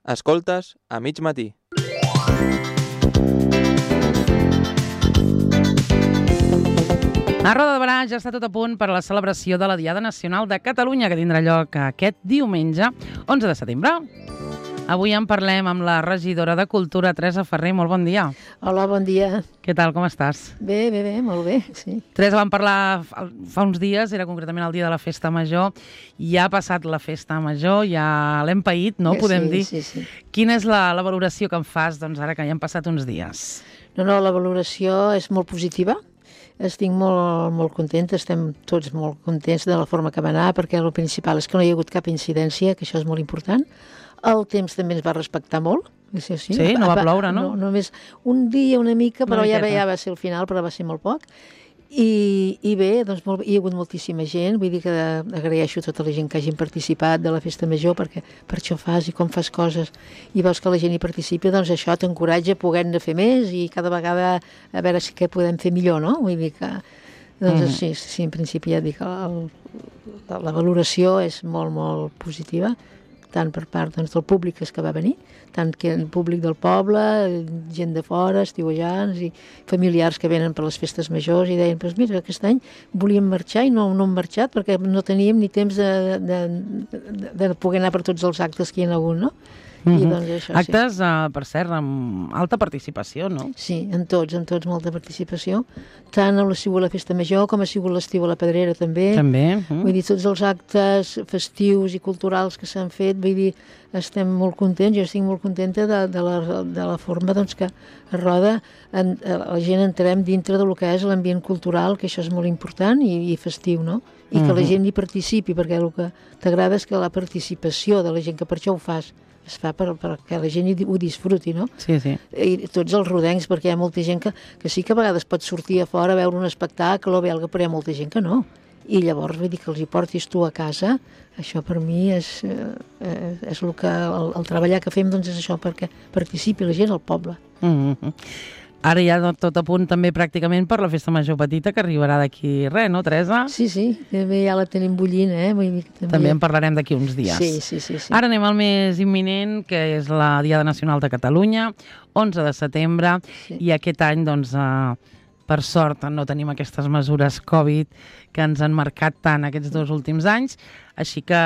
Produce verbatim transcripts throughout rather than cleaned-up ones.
Escoltes a mig matí. A Roda de Barà ja està tot a punt per a la celebració de la Diada Nacional de Catalunya, que tindrà lloc aquest diumenge, onze de setembre. Avui en parlem amb la regidora de Cultura, Teresa Ferrer. Molt bon dia. Hola, bon dia. Què tal, com estàs? Bé, bé, bé, molt bé, sí. Teresa, vam parlar fa uns dies, era concretament el dia de la Festa Major. Ja ha passat la Festa Major, ja l'hem paït, no? Podem sí, dir. Sí, sí. Quina és la, la valoració que en fas, doncs, ara que ja han passat uns dies? No, no, la valoració és molt positiva. Estic molt, molt contenta, estem tots molt contents de la forma que va anar, perquè el principal és que no hi ha hagut cap incidència, que això és molt important. El temps també ens va respectar molt. Sí, sí, sí no va ploure, no? no? Només un dia una mica, però una ja, ja va ser el final, però va ser molt poc. I, i bé, doncs molt, hi ha hagut moltíssima gent, vull dir que agraeixo a tota la gent que hagin participat de la Festa Major, perquè per això fas i com fas coses i veus que la gent hi participi, doncs això t'encoratja a poder-ne fer més i cada vegada a veure si què podem fer millor, no? Vull dir que, doncs mm. sí, sí, en principi ja dic, el, la, la valoració és molt, molt positiva, tant per part doncs, del públic que va venir, tant que el públic del poble, gent de fora, estiuejants i familiars que venen per les festes majors i deien, doncs mira, aquest any volíem marxar i no, no hem marxat perquè no teníem ni temps de, de, de, de poder anar per tots els actes que hi ha hagut, no? Mm-hmm. I doncs això, actes, sí. uh, per cert, amb alta participació, no? Sí, en tots, en tots molta participació. Tant ha sigut la Festa Major com ha sigut l'estiu a la Pedrera també. També. Mm. Vull dir, tots els actes festius i culturals que s'han fet, vull dir, estem molt contents, jo estic molt contenta de, de, la, de la forma doncs, que a Roda en, la gent entrem dintre del que és l'ambient cultural, que això és molt important i, i festiu, no? I que mm-hmm. la gent hi participi, perquè el que t'agrada és que la participació de la gent, que per això ho fas, es fa per, perquè la gent ho disfruti, no? Sí, sí. I tots els rodencs, perquè hi ha molta gent que, que sí que a vegades pot sortir a fora a veure un espectacle o veure, però hi ha molta gent que no. I llavors, vull dir, que els hi portis tu a casa, això per mi és, eh, és el que, el, el treballar que fem, doncs és això, perquè participi la gent al poble. Mm-hmm. Ara ja tot a punt també pràcticament per la Festa Major Petita, que arribarà d'aquí res, no, Teresa? Sí, sí, també ja la tenim bullint, eh? Vull dir que també... també en parlarem d'aquí uns dies. Sí, sí, sí, sí. Ara anem al més imminent, que és la Diada Nacional de Catalunya, onze de setembre, sí. I aquest any, doncs, eh, per sort, no tenim aquestes mesures Covid que ens han marcat tant aquests dos últims anys, així que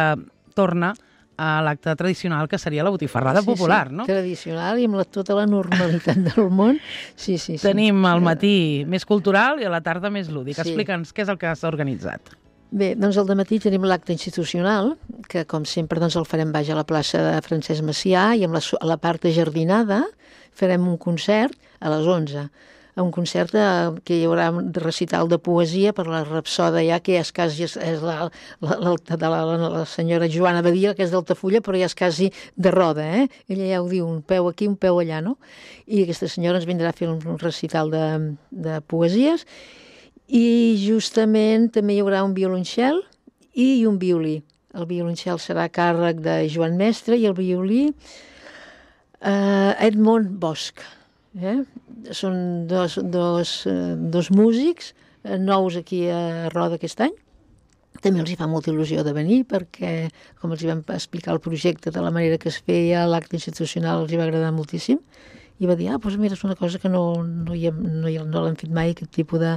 torna a l'acte tradicional, que seria la botifarrada sí, popular, sí, no? Tradicional i amb la, tota la normalitat del món. Sí, sí, sí. Tenim al matí més cultural i a la tarda més lúdic. Sí. Explica'ns què és el que s'ha organitzat. Bé, doncs al dematí tenim l'acte institucional, que com sempre doncs, el farem baix a la plaça de Francesc Macià i amb la, a la part ajardinada farem un concert a les onze. Un concert que hi haurà un recital de poesia per la rapsoda ja, que ja és quasi és la, la, la, de la, la, la senyora Joana Badia, que és d'Altafulla, però ja és quasi de Roda, eh? Ella ja ho diu, un peu aquí, un peu allà, no? I aquesta senyora ens vindrà a fer un, un recital de, de poesies i justament també hi haurà un violoncel i un violí. El violoncel serà a càrrec de Joan Mestre i el violí eh, Edmond Bosch. Eh? Són dos, dos, dos músics nous aquí a Roda aquest any. També els hi fa molta il·lusió de venir perquè, com els hi vam explicar el projecte de la manera que es feia, l'acte institucional els hi va agradar moltíssim i va dir, ah, doncs mira, és una cosa que no, no, hi hem, no, hi, no l'hem fet mai, aquest tipus de,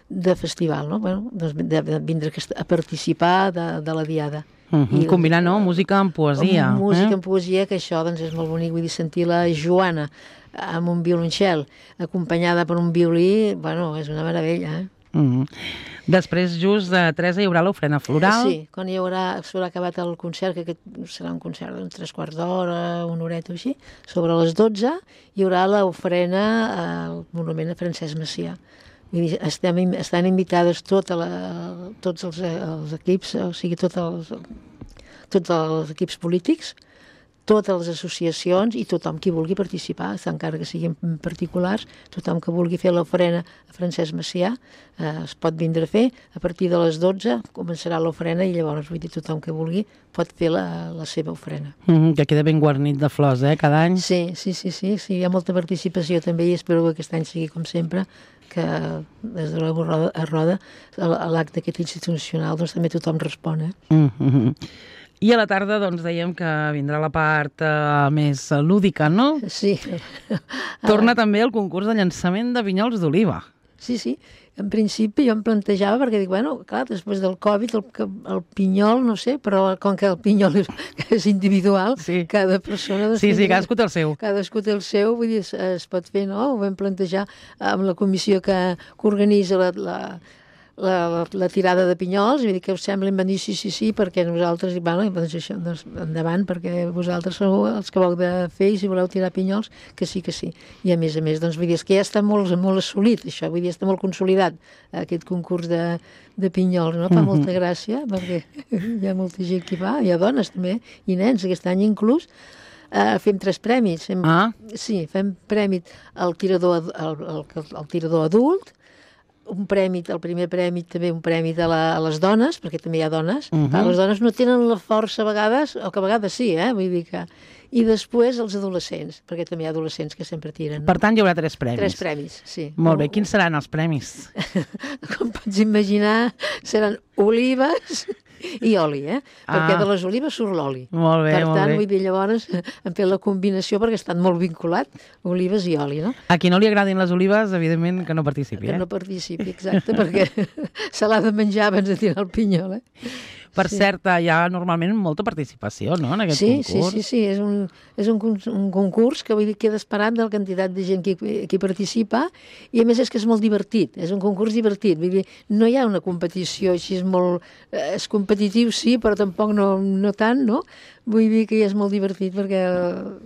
de festival, no? Bueno, doncs de, de vindre a participar de, de la Diada. Uh-huh. I, combinar, no?, música amb poesia. Amb música eh? amb poesia, que això doncs, és molt bonic, vull dir, sentir la Joana amb un violoncel acompanyada per un violí, bueno, és una meravella, eh? Uh-huh. Després, just de Teresa, hi haurà l'ofrena floral. Sí, quan hi haurà, s'haurà acabat el concert, que aquest serà un concert d'uns tres quarts d'hora, una horeta o així, sobre les dotze hi haurà l'ofrena al monument a Francesc Macià. Vull dir, estem, estan invitades tota la, tots els, els equips, o sigui, tots els, tots els equips polítics, totes les associacions i tothom qui vulgui participar, encara que siguin particulars, tothom que vulgui fer l'ofrena a Francesc Macià eh, es pot vindre a fer. A partir de les dotze començarà l'ofrena i llavors, vull dir, tothom que vulgui pot fer la, la seva ofrena. Mm, que queda ben guarnit de flors, eh, cada any. Sí, sí, sí, sí, sí, hi ha molta participació també i espero que aquest any sigui com sempre, que des de la Roda, a Roda, a l'acte aquest institucional, doncs també tothom respon, eh? Mm-hmm. I a la tarda, doncs, dèiem que vindrà la part uh, més lúdica, no? Sí. Torna també el concurs de llançament de pinyols d'oliva. Sí, sí. En principi jo em plantejava, perquè dic, bueno, clar, després del Covid, el, el pinyol, no sé, però com que el pinyol és, és individual, sí. cada persona... Doncs, sí, sí, cadascú té el seu. Cadascú té el seu, vull dir, es, es pot fer, no? Ho vam plantejar amb la comissió que, que organitza la, la, la, la, la tirada de pinyols, i vull dir que us sembla, em van dir sí, sí, sí, perquè nosaltres, dic, bueno, doncs això, doncs endavant, perquè vosaltres sou els que vau de fer, i si voleu tirar pinyols, que sí, que sí. I a més a més, doncs vull dir, és que ja està molt, molt assolit, això, vull dir, està molt consolidat, aquest concurs de, de pinyols, no? Fa mm-hmm. molta gràcia, perquè hi ha molta gent que hi va, hi ha dones també, i nens, aquest any inclús, uh, fem tres premis. Fem, ah. Sí, fem premi al tirador, al, al, al tirador adult, un premi, el primer premi també un premi de la, a les dones, perquè també hi ha dones. Uh-huh. Les dones no tenen la força a vegades, o que a vegades sí, eh? Vull dir que... I després els adolescents, perquè també hi ha adolescents que sempre tiren. No? Per tant, hi haurà tres premis. Tres premis, sí. Molt bé. Quins seran els premis? Com pots imaginar, seran olives i oli, eh? Ah. Perquè de les olives surt l'oli. Molt bé, per molt tant, bé. vull dir, llavors hem fet la combinació perquè estan molt vinculat, olives i oli, no? A qui no li agradin les olives, evidentment que no participi, que eh? Que no participi, exacte, perquè se l'ha de menjar abans de tirar el pinyol, eh? Per sí. cert, hi ha normalment molta participació, no?, en aquest sí, concurs. Sí, sí, sí, és un, és un, un concurs que vull dir queda esperat de la quantitat de gent que, que hi participa, i a més és que és molt divertit, és un concurs divertit, vull dir, no hi ha una competició així, és molt... és competitiu, sí, però tampoc no, no tant, no? Vull dir que ja és molt divertit perquè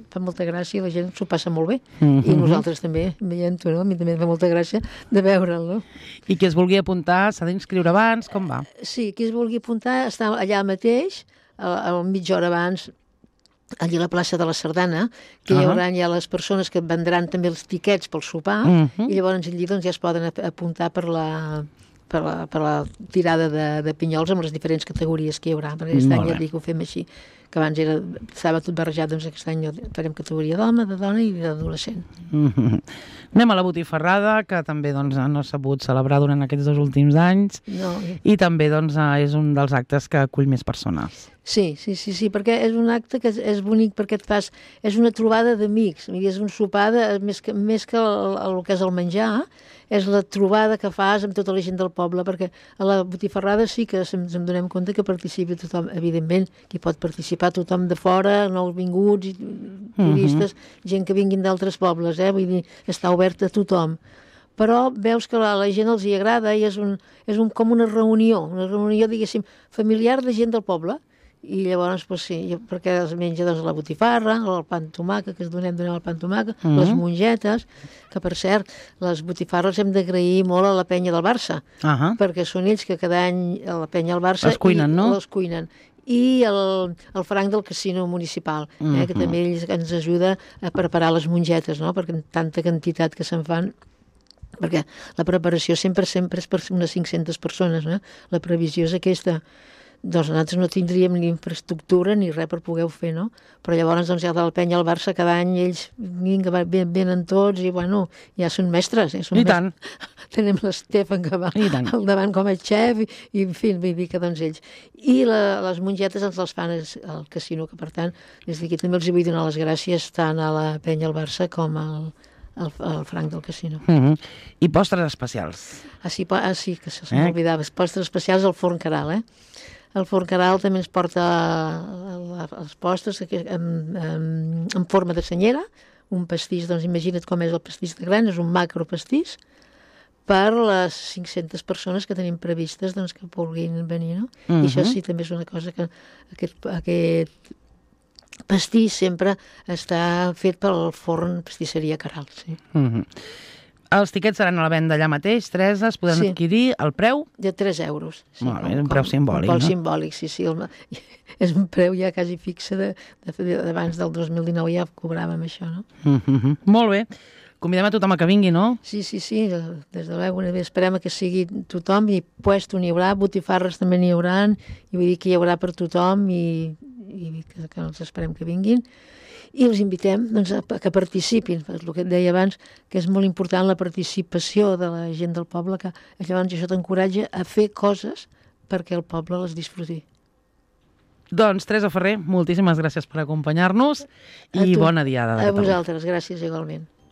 fa molta gràcia i la gent s'ho passa molt bé. Mm-hmm. I nosaltres també, veient-ho, no? A mi també fa molta gràcia de veure'l, no? I qui es vulgui apuntar s'ha d'inscriure abans? Com va? Sí, qui es vulgui apuntar està allà mateix, a, a mitja hora abans, allà a la plaça de la Sardana, que uh-huh. hi haurà ja les persones que vendran també els tiquets pel sopar, uh-huh. i llavors allí doncs, ja es poden apuntar per la... Per la, per la tirada de, de pinyols amb les diferents categories que hi haurà, perquè aquest any ja dic que ho fem així, que abans era, estava tot barrejat, doncs aquest any farem categoria d'home, de dona i d'adolescent. Mm-hmm. Anem a la botifarrada, que també doncs, no s'ha pogut celebrar durant aquests dos últims anys, no. i també doncs, és un dels actes que acull més persones. Sí, sí, sí, sí, perquè és un acte que és, és bonic perquè et fas... És una trobada d'amics, és un sopar, de, més, que, més que el, el que és el menjar, és la trobada que fas amb tota la gent del poble, perquè a la botifarrada sí que ens en donem compte que participi tothom, evidentment, que hi pot participar tothom de fora, nous vinguts, turistes, uh-huh. gent que vinguin d'altres pobles, eh? Vull dir, està obert a tothom. Però veus que a la gent els hi agrada i és, un, és un, com una reunió, una reunió, diguéssim, familiar de gent del poble. I llavors, doncs sí, perquè es menja doncs, la botifarra, el pa amb tomàquet, que es donem, donem el pa amb tomàquet, uh-huh. les mongetes, que per cert, les botifarres hem d'agrair molt a la penya del Barça, uh-huh. perquè són ells que cada any a la penya del Barça... Els cuinen, no? Els cuinen. I el, el franc del casino municipal, eh, uh-huh. que també ells ens ajuda a preparar les mongetes, no? Perquè tanta quantitat que se'n fan, perquè la preparació sempre sempre és per unes cinc-centes persones, no? La previsió és aquesta. Doncs nosaltres no tindríem ni infraestructura ni res per poder-ho fer, no? Però llavors, doncs, ja del Penya al Barça, cada any ells vinga, venen tots i, bueno, ja són mestres. Eh? Són I tant. Mestres. Tenim l'Estefan que va al davant com a xef i, i en fi, vull dir que, doncs, ells. I la, les mongetes ens les fan al casino, que, per tant, des d'aquí també els vull donar les gràcies tant a la Penya al Barça com al, al, al franc del casino. Mm-hmm. I postres especials. Ah, sí, ah, sí que se m'oblidava. Eh? Postres especials al forn Caral, eh? El forn Caral també ens porta els postres en, en, en forma de senyera, un pastís, doncs imagina't com és el pastís de gran, és un macro pastís, per les cinc-centes persones que tenim previstes doncs, que vulguin venir, no? Uh-huh. I això sí, també és una cosa que aquest, aquest pastís sempre està fet pel forn pastisseria Caral, sí. Uh-huh. Els tiquets seran a la venda allà mateix, Teresa, es poden sí. adquirir al preu? De tres euros. Sí, Molt bé, és un preu simbòlic, un no? simbòlic, sí, sí. El, és un preu ja quasi fixe d'abans de, de, del dos mil dinou ja cobràvem això, no? Mm-hmm. Molt bé. Convidem a tothom a que vingui, no? Sí, sí, sí, des de l'Eu, esperem que sigui tothom, i puesto n'hi haurà, botifarres també n'hi haurà, i vull dir que hi haurà per tothom, i, i que, que els esperem que vinguin. I els invitem doncs, a que participin, el que et deia abans, que és molt important la participació de la gent del poble, que llavors això t'encoratja a fer coses perquè el poble les disfruti. Doncs, Teresa Ferrer, moltíssimes gràcies per acompanyar-nos i bona diada de A Catalunya. vosaltres, gràcies igualment.